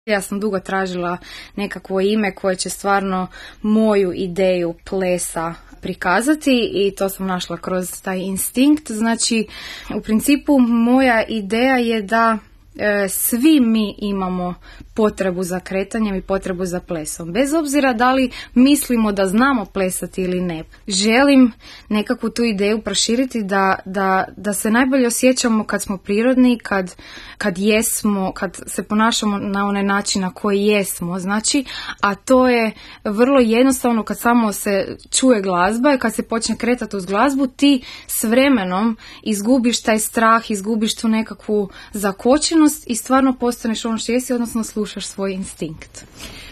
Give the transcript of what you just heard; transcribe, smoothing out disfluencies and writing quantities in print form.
Ja sam dugo tražila nekakvo ime koje će stvarno moju ideju plesa prikazati i to sam našla kroz taj instinkt. Znači, u principu moja ideja je da svi mi imamo potrebu za kretanjem i potrebu za plesom. Bez obzira da li mislimo da znamo plesati ili ne. Želim nekakvu tu ideju proširiti da se najbolje osjećamo kad smo prirodni, kad jesmo, kad se ponašamo na onaj način na koji jesmo. Znači, a to je vrlo jednostavno kad samo se čuje glazba i kad se počne kretati uz glazbu, ti s vremenom izgubiš taj strah, izgubiš tu nekakvu zakočenost i stvarno postaneš ono što jesi, odnosno slušaš svoj instinkt.